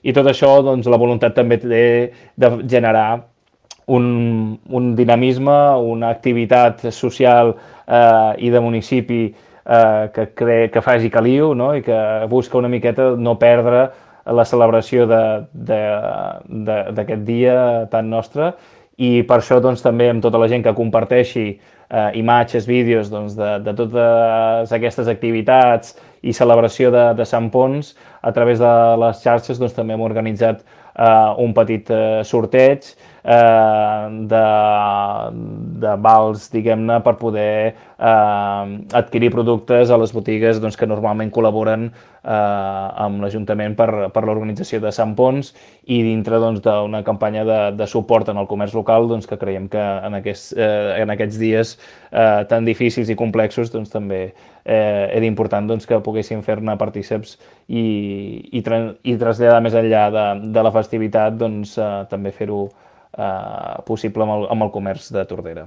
i tot això, doncs, la voluntat també té de generar un dinamisme, una activitat social i de municipi que faci caliu, no? I que busca una miqueta no perdre la celebració d'aquest dia tan nostre, i per això doncs, també amb tota la gent que comparteixi imatges, vídeos doncs, de totes aquestes activitats i celebració de Sant Ponç a través de les xarxes, doncs, també hem organitzat un petit sorteig de vals, diguem-ne, per poder adquirir productes a les botigues doncs, que normalment col·laboren amb l'Ajuntament per l'organització de Sant Ponç, i dintre doncs, d'una campanya de suport en el comerç local, doncs, que creiem que en aquests dies tan difícils i complexos doncs, també era important doncs, que poguessin fer-ne partíceps i traslladar més enllà de la festivitat doncs, també fer-ho possible amb el comerç de Tordera.